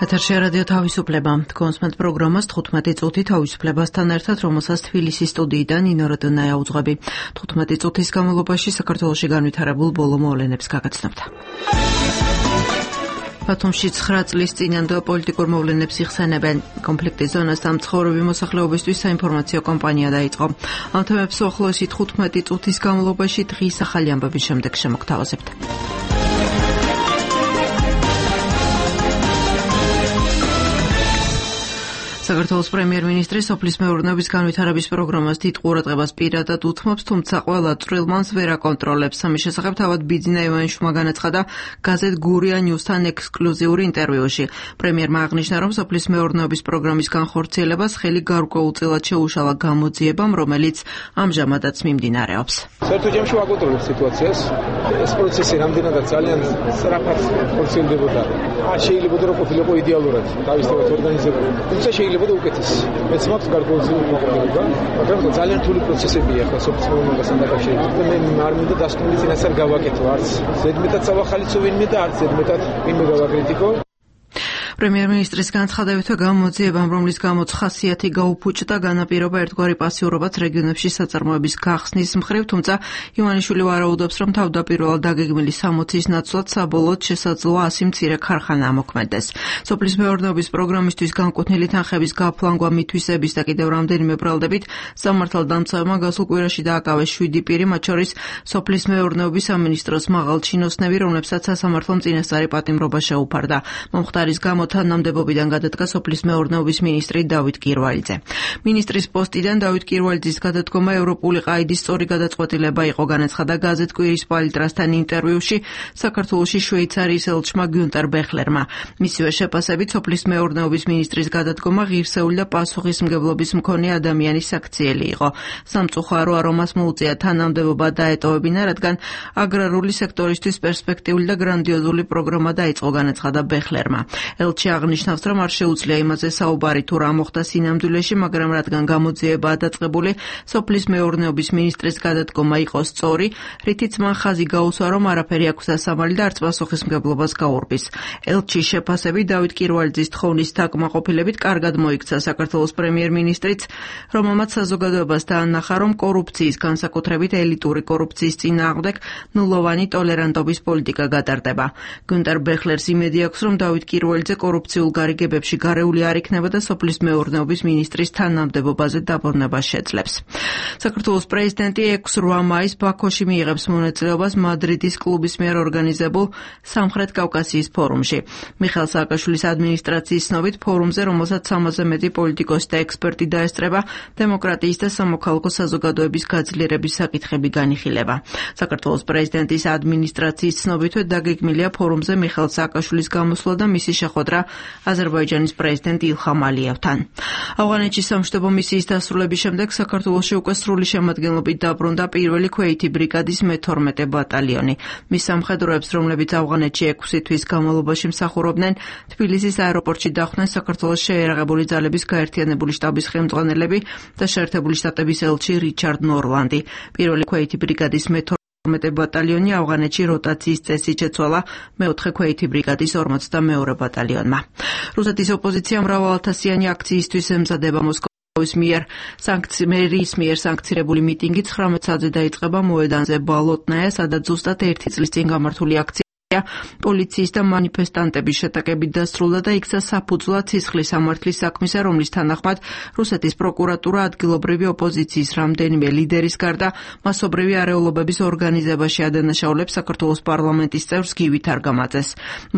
ეთერში რადიო თავისუფლება. კონსმენტ პროგრამას 15 წუთი თავისუფლებასთან ერთად, რომელსაც თბილისის სტუდიიდან ნინო როდონაია უძღვები. 15 წუთის განმავლობაში საქართველოში განვითარებულ ბოლო მოვლენებს გაგაცნობთ. ბათუმში 9 წლის წინანდელ პოლიტიკურ მოვლენებს იხსენებენ. კონფლიქტის ზონასთან მცხოვრები მოსახლეობისთვის საინფორმაციო კამპანია დაიწყო. ამ თემებს უახლოესი 15 წუთის განმავლობაში დღის ახალი ამბების შემდეგ შემოგთავაზებთ. საქართველოს პრემიერ-მინისტრი სოფლის მეურნეობის განვითარების პროგრამას დიდ ყურადღებას პირადად უთმობს, თუმცა ყველა წვრილმანს ვერ აკონტროლებს. ამის შესახებ თავად ბიძინა ივანიშვილმა განაცხადა გაზეთ გურია ნიუსთან ექსკლუზიური ინტერვიუში. პრემიერმა აღნიშნა, რომ სოფლის მეურნეობის პროგრამის განხორციელებას ხელი გარკვეულწილად შეუშალა გამოძიებამ, რომელიც ამჟამადაც მიმდინარეობს. საერთო ჯამში ვაკონტროლებ სიტუაციას. ეს პროცესი რამდენადაც ძალიან სწრაფად ხორციელდებოდა. შეიძლება რომ ყოფილიყო იდეალურად თავისთავად ორგანიზებული. თუმცა შეიძლება უკეთესი. მეც მაქვს გარკვეულწილად მოყოლება, მაგრამ ძალიან რთული პროცესებია ახლა სოფლის მეურნეობასთან დაკავშირებით. მე არ მინდა დასკვნილი წინასწარ გავაკეთო, არც ზედმეტად სავახალიცო ვინმე და არც ზედმეტად ვინმე გავაკრიტიკო. პრემიერ-მინისტრის განცხადებითო გამოძიებამ, რომლის გამოც ხასიათი გაუფუჭდა, განაპირობა ერთგვარი პასიურობაც რეგიონებში საწარმოების გახსნის მხრივ, თუმცა ივანიშვილი ვარაუდობს, რომ თავდაპირველად დაგეგმილი 60-ის ნაცვლად საბოლოოდ შესაძლოა 100 მცირე ქარხანა ამოქმედდეს. სოფლის მეურნეობის პროგრამისთვის განკუთვნილი თანხების გაფლანგვა, მითვისების და კიდევ რამდენიმე ბრალდებით სამართალდამცავებმა გასულ კვირაში დააკავეს 7 პირი, მათ შორის სოფლის მეურნეობის სამინისტროს მაღალჩინოსნები, რომლებსაც სასამართლომ წინასწარი პატიმრობა შეუფარდა. მომხდარის გამო თანამდებობიდან გადადგა სოფლის მეურნეობის მინისტრი დავით კირვალიძე. მინისტრის პოსტიდან დავით კირვალიძის გადადგომა ევროპული ყაიდის სწორი გადაწყვეტილება იყო, განაცხადა გაზეთ კვირის პალიტრასთან ინტერვიუში საქართველოში შვეიცარიის ელჩმა გიუნტერ ბეხლერმა. მისივე შეფასებით სოფლის მეურნეობის მინისტრის გადადგომა ღირსეული და პასუხისმგებლობის მქონე ადამიანის საქციელი იყო. სამწუხარო არომას მოუწია თანამდებობა დაეტოვებინა, რადგან აგრარული სექტორისთვის პერსპექტიული და გრანდიოზული პროგრამა დაიწყო, განაცხადა ბეხლერმა. ელჩი აღნიშნავს, რომ არ შეუძლია იმაზე საუბარი თუ რა მოხდა სინამდვილეში, მაგრამ რადგან გამოძიებაა დაწყებული, სოფლის მეურნეობის მინისტრის გადადგომა იყო სწორი, რითიც მან ხაზი გაუსვა, რომ არაფერი აქვს დასამალი და არც პასუხისმგებლობას გაურბის. ელჩის შეფასებით დავით კირვალიძის თხოვნის დაკმაყოფილებით კარგად მოიქცა საქართველოს პრემიერ-მინისტრიც, რომელმაც საზოგადოებას დაანახა, რომ კორუფციის, განსაკუთრებით ელიტური კორუფციის წინააღმდეგ ნულოვანი ტოლერანტობის პოლიტიკა გატარდება. გიუნტერ ბეხლერს იმედი აქვს, რომ დავით კირვალიძე კორუფციულ გარიგებებში გარეული არ იქნება და სოფლის მეურნეობის მინისტრის თანამდებობაზე დაბრუნება შეძლებს. საქართველოს პრეზიდენტი 6-8 მაისს ბაქოში მიიღებს მონაწილეობას მადრიდის კლუბის მიერ ორგანიზებულ სამხრეთ კავკასიის ფორუმში. მიხეილ სააკაშვილის ადმინისტრაციის ცნობით, ფორუმზე, რომელსაც 300-ზე მეტი პოლიტიკოსი და ექსპერტი დაესწრება, დემოკრატიის და სამოქალაქო საზოგადოების გაძლიერების საკითხები განიხილება. საქართველოს პრეზიდენტის ადმინისტრაციის ცნობითვე დაგეგმილია ფორუმზე მიხეილ სააკაშვილის გამოსვლა და მისი შეხვედრა აზერბაიჯანის პრეზიდენტ ილხამ ალიევთან. ავღანეთში სამშვიდობო მისიის დასრულების შემდეგ საქართველოში უკვე სრული შემადგენლობით დაბრუნდა პირველი ქვეითი ბრიგადის მე-12 ბატალიონი. მის სამხედროებს, რომლებიც ავღანეთში 6 თვის განმავლობაში მსახურობდნენ, თბილისის აეროპორტში დახვდნენ საქართველოს შეიარაღებული ძალების გაერთიანებული შტაბის ხელმძღვანელები და შეერთებული შტატების ელჩი რიჩარდ ნორლანდი. პირველი ქვეითი ბრიგადის მე-12 ბატალიონი ავღანეთში როტაციის წესით შეცვალა მე-4 ქვეითი ბრიგადის 42 ბატალიონმა. რუსეთის ოპოზიცია მრავალათასიანი აქციისთვის ემზადება. მოსკოვის მერის მიერ სანქცირებული მიტინგი 19 საათზე დაიწყება მოედანზე ბალოტნაია, სადაც ზუსტად 1 წლის წინ გამართული აქცია პოლიციის და მანიფესტანტების შეტაკებით დასრულდა და იქცა საფუძვლად სისხლის სამართლის საქმისა, რომლის თანახმად რუსეთის პროკურატურა ადგილობრივი ოპოზიციის რამდენიმე ლიდერის გარდა მასობრივი არეულობების ორგანიზებაში ადანაშაულებს საქართველოს პარლამენტის წევრს გივით არგამაძეს.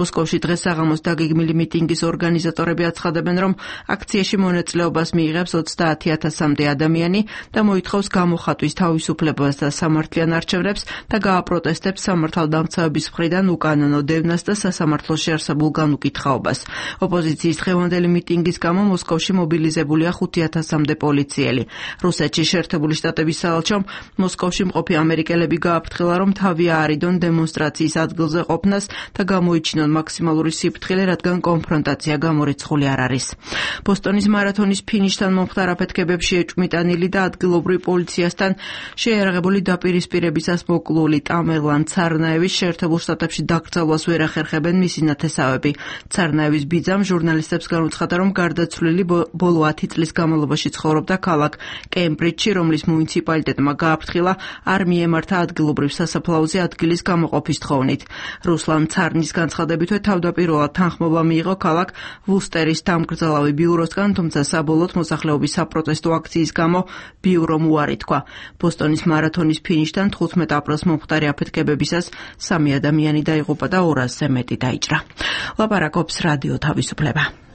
მოსკოვში დღეს საღამოს დაგეგმილი მიტინგის ორგანიზატორები აცხადებენ, რომ აქციაში მონაწილეობას მიიღებს 30,000-მდე ადამიანი და მოითხოვს გამოხატვის თავისუფლებას და სამართლიან არჩევნებს და გააპროტესტებს სამართალდამცავების მხრიდან უკანონო დევნას და სასამართლოში არსებულ განუკითხაობას. ოპოზიციის დღევანდელი მიტინგის გამო მოსკოვში მობილიზებულია 5,000-მდე პოლიციელი. რუსეთში შეერთებული შტატების საელჩომ მოსკოვში მყოფი ამერიკელები გააფრთხილა, რომ თავი აარიდონ დემონსტრაციის ადგილზე ყოფნას და გამოიჩინონ მაქსიმალური სიფრთხილე, რადგან კონფრონტაცია გამორიცხული არ არის. ბოსტონის მარათონის ფინიშთან მომხდარ აფეთქებებში ეჭვმიტანილი და ადგილობრივი პოლიციასთან შეიარაღებული დაპირისპირებისას მოკლული ტამერლან ცარნაევის შეერთებულ შტატებში დაკრძალვას ვერ ახერხებენ მისი ნათესავები. ცარნაევის ბიძამ ჟურნალისტებს განუცხადა, რომ გარდაცვლილი ბოლო 10 წლის განმავლობაში ცხოვრობდა ქალაქ კემბრიჯში, რომლის მუნიციპალიტეტმა გააფრთხილა არ მიემართა ადგილობრივ სასაფლაოზე ადგილის გამოყოფის თხოვნით. რუსლან ცარნის განცხადებითვე თავდაპირველად თანხმობა მიიღო ქალაქ ვუსტერის დამკრძალავი ბიუროსგან, თუმცა საბოლოოდ მოსახლეობის საპროტესტო აქციის გამო ბიურომ უარი თქვა. ბოსტონის მარათონის ფინიშთან 15 აპრილს მომხდარი აფეთქებებისას 3 ადამიანი დაიღუპა და 200-ზე მეტი დაიჭრა. ლაპარაკობს რადიო თავისუფლება.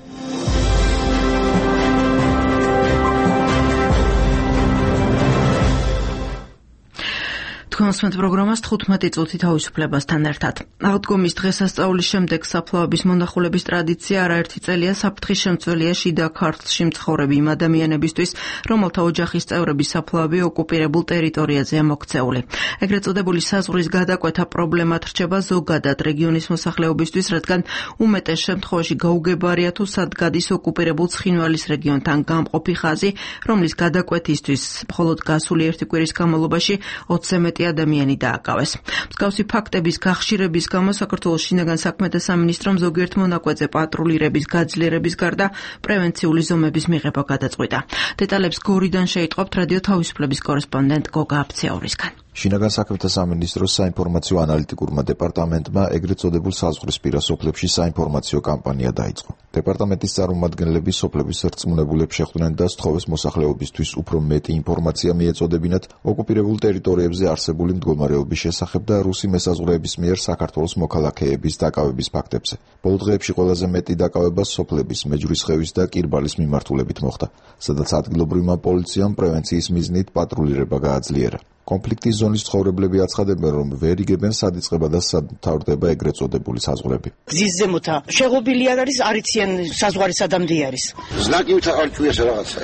თქვენსმენთ პროგრამას 15 წუთი თავისუფლებასთან ერთად. აღდგომის დღესასწაულის შემდეგ საფლავების მონახულების ტრადიცია არაერთი წელია საფრთხის შემცველია შიდა ქართლში მცხოვრები იმ ადამიანებისთვის, რომელთა ოჯახის წევრების საფლავები ოკუპირებულ ტერიტორიაზეა მოქცეული. ეგრეთ წოდებული საზღვრის გადაკვეთა პრობლემად რჩება ზოგადად რეგიონის მოსახლეობისთვის, რადგან უმეტეს შემთხვევაში გაუგებარია თუ სად გადის ოკუპირებულ ცხინვალის რეგიონთან გამყოფი ხაზი, რომლის გადაკვეთისთვის მხოლოდ გასული ერთი კვირის განმავლობაში 20-ზე მეტი ადამიანი დააკავეს. მსგავსი ფაქტების გახშირების გამო საქართველოს შინაგან საქმეთა სამინისტრომ ზოგიერთ მონაკვეთზე პატრულირების გაძლიერების გარდა პრევენციული ზომების მიღება გადაწყვიტა. დეტალებს გორიდან შეიტყობთ რადიო თავისუფლების კორესპონდენტ გოგა აფცეორისგან. შინაგან საქმეთა სამინისტროს საინფორმაციო ანალიტიკურმა დეპარტამენტმა ეგრეთ წოდებულ საზღვრისპირა სოფლებში საინფორმაციო კამპანია დაიწყო. დეპარტამენტის წარმომადგენლები სოფლების რწმუნებულებს შეხვდნენ და სთხოვეს მოსახლეობისთვის უფრო მეტი ინფორმაცია მიეწოდებინათ ოკუპირებულ ტერიტორიებზე არსებული მდგომარეობის შესახებ და რუსი მესაზღვრეების მიერ საქართველოს მოქალაქეების დაკავების ფაქტებზე. ბოლო დღეებში ყველაზე მეტი დაკავება სოფლების, მეჯვრისხევის და კირბალის მიმართულებით მოხდა, სადაც ადგილობრივმა პოლიციამ პრევენციის მიზნით პატრულირება გააძლიერა. კონფლიქტის ზონის ცხოვრებლები აცხადებენ, რომ ვერ იგებენ სად იწყება და სად მთავრდება ეგრეთ წოდებული საზღვრები. გზის ზემოთა შეღობილი არ არის, არიციან საზღვარი სადამდე არის. ზნაკივით არ ჭუიას რაღაცა.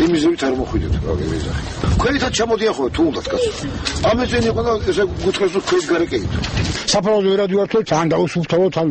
იმიზურით არ მოხვიდეთ აგერიზა. ქვენითაც ჩამოდიან ხოლმე თუ უნდათ კაცო. ამეძენი იყო და ესე გუთხრეს რომ ქვენ გარეკეით. საფრთხე ვერად ვართო, თან დაუსუფთავოთ, თან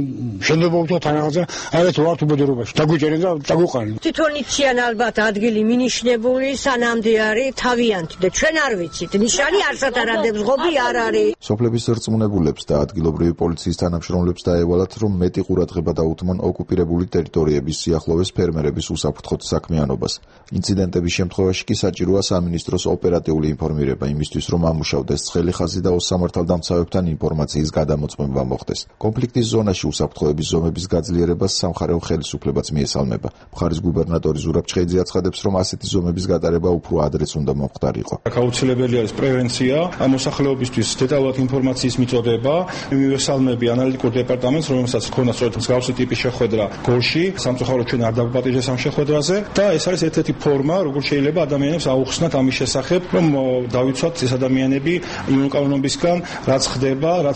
შენდებობთ, თან რაღაცა, არეთ ვართ უბედურობაში. დაგვიჭერენ და დაგვუყარენ. თვითონ იციან ალბათ ადგილი მინიშნებული, სანამდე არის თავიანთი და ჩვენ არ ვიცით. ნიშანი არსად არადებს ღობი არ არის. სოფლების რწმუნებულებს და ადგილობრივი პოლიციის თანამშრომლებს დაევალათ, რომ მეტი ყურადღება დაუთმონ ოკუპირებული ტერიტორიების სიახლოვეს ფერმერების უსაფრთხოდ საქმიანობას. ინციდენტების შემთხვევაში კი საჭიროა სამინისტროს ოპერატიული ინფორმირება იმისთვის, რომ ამუშავდეს ცხელი ხაზი და ოსამართალდამცავებთან ინფორმაციის გადამოწმება მოხდეს. კონფლიქტის ზონაში უსაფრთხოების ზომების გაძლიერებას სამხარეო ხელისუფლებაც მიესალმება. მხარის გუბერნატორი ზურაბ ჩხეიძე აცხადებს, რომ ასეთი ზომების გატარება უფრო ადრეც უნდა მომხდარიყო. აუცილებელი არის პრევენცია, მოსახლეობისთვის დეტალურად ინფორმაციის მიწოდება. მივესალმები ანალიტიკურ დეპარტამენტს, რომელსაც ჰქონდა სწორედ მსგავსი ტიპის შეხვედრა გორში, სამწუხაროდ ჩვენ არ დაგვაპატიჟეს ამ შეხვედრაზე და ეს არის ერთ-ერთი ფორმა, როგორ შეიძლება ადამიანებს აუხსნათ ამის შესახებ, რომ დავიცვათ ეს ადამიანები იმუნკანონებისგან, რაც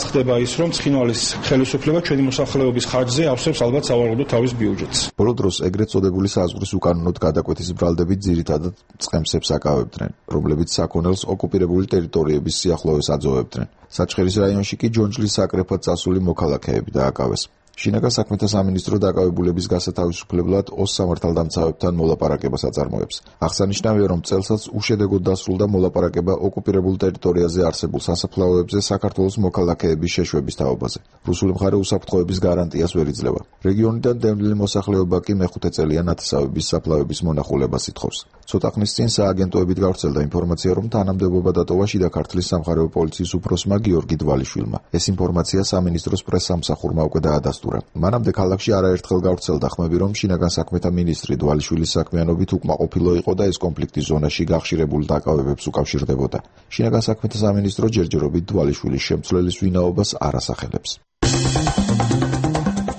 ხდება ის, რომ ცხინვალის ხელისუფლება ჩვენი მოსახლეობის ხარჯზე ავსებს ალბათ სავარაუდოდ თავის ბიუჯეტს. ბოლო დროს ეგრეთ წოდებული საზღვრის უკანონოდ გადაკვეთის ბრალდებით ძირითადად წყემსებს აკავებდნენ, რომლებიც საქონელს ოკუპირებული ტერიტორიების სიახლოვეს აძოვებდნენ. საჩხერის რაიონში კი ჯონჯლის საკრეფად წასული მოქალაქეები დააკავეს. შინაგან საქმეთა სამინისტრო დაკავებულების გასათავისუფლებლად ოსამართალდამცავებთან მოლაპარაკებას აწარმოებს. აღსანიშნავია, რომ წელსაც უშედეგოდ დასრულდა მოლაპარაკება ოკუპირებულ ტერიტორიაზე არსებულ სასაფლაოებზე საქართველოს მოქალაქეების შეშვების თაობაზე. რუსული მხარე უსაფრთხოების გარანტიას ვერ იძლევა. რეგიონიდან დევნილი მოსახლეობა კი მეხუთე წელია ნათესავების საფლავების მონახულებას ითხოვს. ცოტა ხნის წინ სააგენტოებით გავრცელდა ინფორმაცია, რომ თანამდებობა დატოვა შიდა ქართლის სამხარეო პოლიციის უფროსმა გიორგი დვალიშვილმა. ეს ინფორმაცია სამინისტროს პრესსამსახურმა უკვე დაადასტურა. მანამდე ქალაქში არაერთხელ გავრცელდა ხმები, რომ შინაგან საქმეთა მინისტრი დვალიშვილის საქმიანობით უკმაყოფილო იყო და ეს კონფლიქტის ზონაში გახშირებულ დაკავებებს უკავშირდებოდა. შინაგან საქმეთა სამინისტრო ჯერჯერობით დვალიშვილის შემცვლელის ვინაობას არ ასახელებს.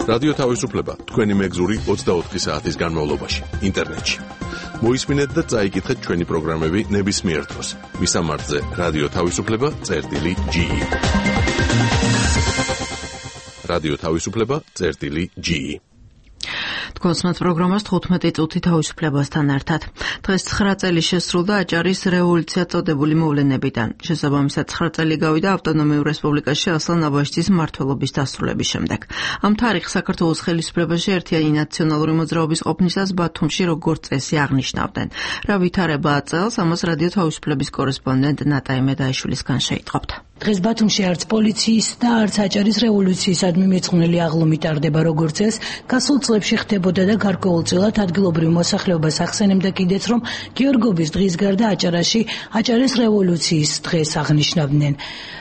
რადიო თავისუფლება თქვენი მეგზური 24 საათის განმავლობაში ინტერნეტში. მოისმინეთ და წაიკითხეთ ჩვენი პროგრამები ნებისმიერ დროს. ვისამართზე რადიო თავისუფლება.ge რადიო თავისუფლება.ge თქვენსმენთ პროგრამას 15 წუთი თავისუფლებასთან ერთად. დღეს 9 წელი შესრულდა აჭარის რევოლუცია წოდებული მოვლენებიდან. შესაბამისად 9 წელი გავიდა ავტონომიურ რესპუბლიკაში ასლან აბაშიძის მმართველობის დასრულების შემდეგ. ამ თარიღს საქართველოს ხელისუფლებაში ერთიანი ნაციონალური მოძრაობის ყოფნისას ბათუმში როგორც წესი აღნიშნავდნენ. რა ვითარებაა წელს, ამას რადიო თავისუფლების კორესპონდენტ ნატაი მედაიშვილისგან შეიტყობთ. დღეს ბათუმში არც პოლიციის და არც აჭარის რევოლუციისადმი მიძღვნილი აღლუმი ტარდება როგორც ეს, გასულ წლებში ხდებოდა და გარკვეულწილად ადგილობრივ მოსახლეობას ახსენებდა კიდეც, რომ გიორგობის დღის გარდა აჭარაში აჭარის რევოლუციის დღეს აღნიშნავდნენ.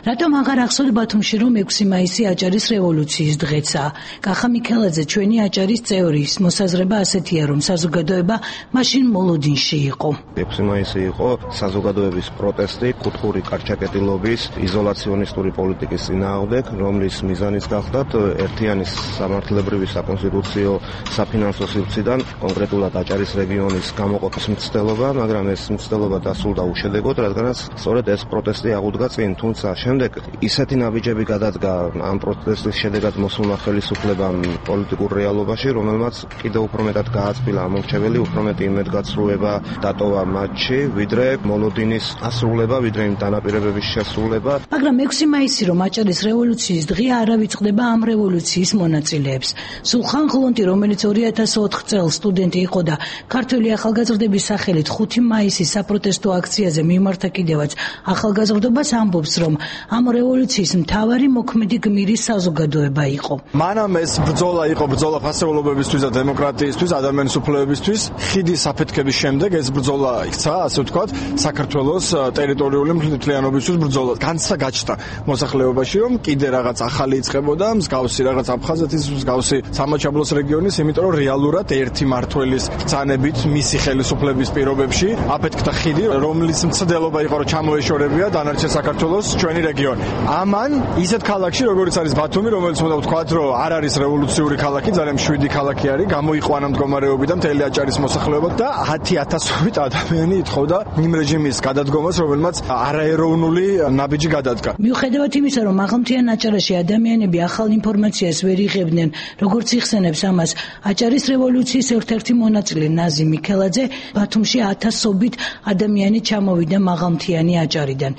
რატომ აღარ ახსოვთ ბათუმში, რომ 6 მაისი აჭარის რევოლუციის დღეცაა? კახა მიქელაძე, ჩვენი აჭარის წევრის მოსაზრება ასეთია, რომ საზოგადოება მაშინ მოლოდინში იყო. 6 მაისი იყო საზოგადოების პროტესტი კუთხური კარჩაკეტილობის იზოლაციონისტური პოლიტიკის წინააღმდეგ, რომლის მიზანიც გახლდათ ერთიანი სამართლებრივი საკონსტიტუციო საფინანსო სივრციდან კონკრეტულად აჭარის რეგიონის გამოყოფის მცდელობა, მაგრამ ეს მცდელობა დასრულდა უშედეგოდ, რადგანაც სწორედ ეს პროტესტი აღუდგა წინ, თუმცა შემდეგ ისეთი ნაბიჯები გადადგა ამ პროტესტის შედეგად მოსულმა ხელისუფლებამ პოლიტიკურ რეალობაში, რომელმაც კიდევ უფრო მეტად გააწმილა ამორჩეველი, უფრო მეტი იმედგაცრუება დატოვა მათში, ვიდრე მოლოდინის ასრულება, ვიდრე იმ დანაპირებების შესრულება. მაგრამ 6 მაისი რომ აჭარის რევოლუციის დღეა, არ ავიწყდება ამ რევოლუციის მონაწილეებს. სულხან ღლონტი, რომელიც 2004 წელს სტუდენტი იყო და ქართველი ახალგაზრდების სახელით 5 მაისის საპროტესტო აქციაზე მიმართა კიდევაც ახალგაზრდობას, ამბობს, რომ ამ რევოლუციის მთავარი მოქმედი გმირი საზოგადოება იყო. მანამ ეს ბრძოლა იყო ბრძოლა ფასეულობებისთვის და დემოკრატიისთვის, ადამიანის უფლებებისთვის. ხიდის საფეთქების შემდეგ ეს ბრძოლა იქცა, ასე ვთქვათ, საქართველოს ტერიტორიული მთლიანობისთვის ბრძოლა. განცდა გაჩნდა მოსახლეობაში, რომ კიდე რაღაც ახალი იწყებოდა, მსგავსი რაღაც აფხაზეთის, მსგავსი სამაჩაბლოს რეგიონის, იმიტომ რომ რეალურად ერთი მმართველის ბრძანებით მისი ხელისუფლების პირობებში აფეთქდა ხიდი, რომლის მცდელობა იყო, რომ ჩამოეშორებია დანარჩენ საქართველოს ჩვენი რეგიონი. ამან ისეთ ქალაქში, როგორც არის ბათუმი, რომელიც უნდა ვთქვათ, რომ არ არის რევოლუციური ქალაქი, ძალიან მშვიდი ქალაქი არის, გამოიყვანა მდგომარეობიდან მთელი აჭარის მოსახლეობა და 10,000-ობით ადამიანი ითხოვდა იმ რეჟიმის გადადგომას, რომელმაც არაეროვნული ნაბიჯი გადადგა. მიუხედავად იმისა, რომ მაღალმთიან აჭარაში ადამიანები ახალ ინფორმაციას ვერ იღებდნენ, როგორც იხსენებს ამას აჭარის რევოლუციის ერთ-ერთი მონაწილე ნაზი მიქელაძე, ბათუმში 1000-ობით ადამიანი ჩამოვიდა მაღალმთიანი აჭარიდან.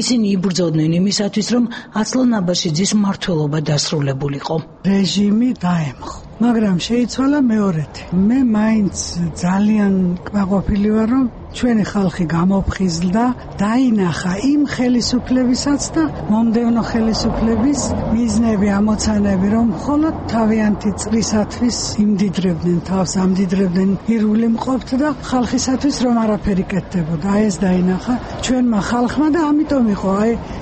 ისინი იბრძოდნენ იმისათვის, რომ ასლან აბაშიძის მმართველობა დასრულებულიყო. რეჟიმი დაემხო. მაგრამ შეიცვალა მეორეთი. მე მაინც ძალიან კმაყოფილი ვარ, რომ ჩვენი ხალხი გამოფხიზლდა, დაინახა იმ ხელისუფლებისაც და მომდევნო ხელისუფლების მიზნები, ამოცანები, რომ მხოლოდ თავიანთი წრისათვის იმდიდრებდნენ თავს, ამდიდრებდნენ ირული მყოფთ და ხალხისათვის რომ არაფერი კეთდებოდა. ეს დაინახა ჩვენმა ხალხმა და ამიტომ იყო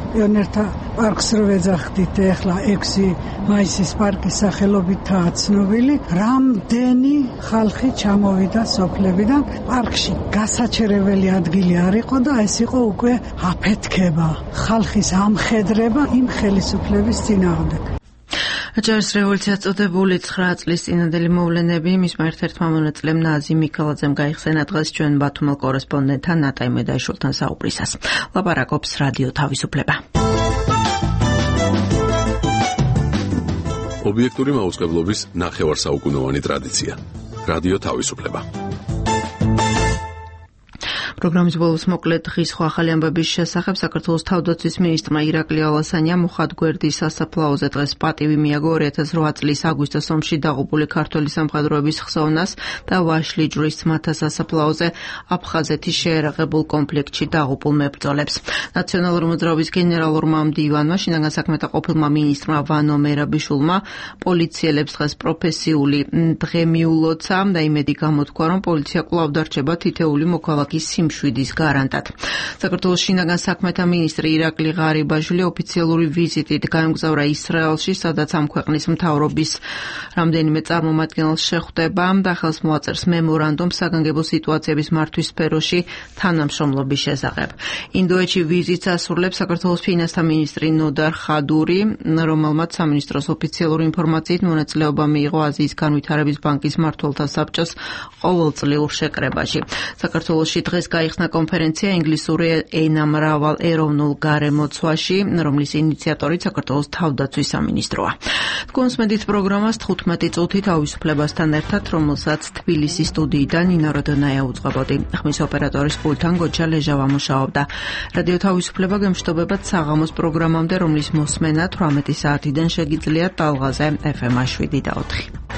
პიონერთა პარკს რო ვეძახდით, ეხლა 6 მაისის პარკის სახელობითაა ცნობილი, რამდენი ხალხი ჩამოვიდა სოფლებიდან პარკში. გასაჩერებელი ადგილი არ იყო და ეს იყო უკვე აფეთქება, ხალხის ამხედრება იმ ხელისუფლების წინააღმდეგ. აჭარის რევოლუციას წოდებული 9 წლის წინანდელი მოვლენები მისმა ერთ-ერთმა მონაწილემ ნაზი მიქელაძემ გაიხსენა დღეს ჩვენ ბათუმელ კორესპონდენტთან ნატაი მედაიშვილთან საუბრისას. ლაპარაკობს რადიო თავისუფლება. ობიექტური მაუწყებლობის ნახევარსაუკუნოვანი ტრადიცია. რადიო თავისუფლება. პროგრამის ბოლოს მოკლედ დღის სხვა ახალი ამბების შესახებ საქართველოს თავდაცვის მინისტრმა ირაკლი ალასანიამ მუხათგვერდის სასაფლაოზე დღეს პატივი მიაგო 2008 წლის აგვისტოს ომში დაღუპული ქართველი სამხედროების ხსოვნას და ვაშლიჯვრის ძმათა სასაფლაოზე აფხაზეთის შეერაღებულ კონფლიქტში დაღუპულ მებრძოლებს. ნაციონალური მოძრაობის გენერალურმა მდივანმა, შინაგან საქმეთა ყოფილმა მინისტრმა ვანო მერაბიშვილმა პოლიციელებს დღეს პროფესიული დღე მიულოცა და იმედი გამოთქვა, რომ პოლიცია კვლავ დარჩება თითეული მოქალაქის შვიდის გარანტად. საქართველოს შინაგან საქმეთა მინისტრი ირაკლი ღარიბაშვილი ოფიციალური ვიზიტით გაემგზავრა ისრაელში, სადაც ამ ქვეყნის მთავრობის რამდენიმე წარმომადგენელს შეხვდება და ხელს მოაწერს მემორანდუმს საგანგებო სიტუაციების მართვის სფეროში თანამშრომლობის შესახებ. ინდოეთში ვიზიტს ასრულებს საქართველოს ფინანსთა მინისტრი ნოდარ ხადური, რომელმაც სამინისტროს ოფიციალური ინფორმაციით მონაწილეობა მიიღო აზიის განვითარების ბანკის მმართველთა საბჭოს ყოველწლიურ შეკრებაში. საქართველოში დღეს გაიხსნა კონფერენცია ინგლისური ენა მრავალ ეროვნულ გარემოცვაში, რომლის ინიციატორი საქართველოს თავდაცვის სამინისტროა. თქვენს მედით პროგრამას 15 წუთით თავისუფლებასთან ერთად, რომელსაც თბილისის სტუდიიდან ნინო როდონაია უძღვებოდი. ხმის ოპერატორის პულტთან გოჩა ლეჟავა მუშაობდა. რადიო თავისუფლება გემშვიდობებათ საღამოს პროგრამამდე, რომლის მოსმენა 18 საათიდან შეგიძლიათ ტალღაზე FM 7 და 4.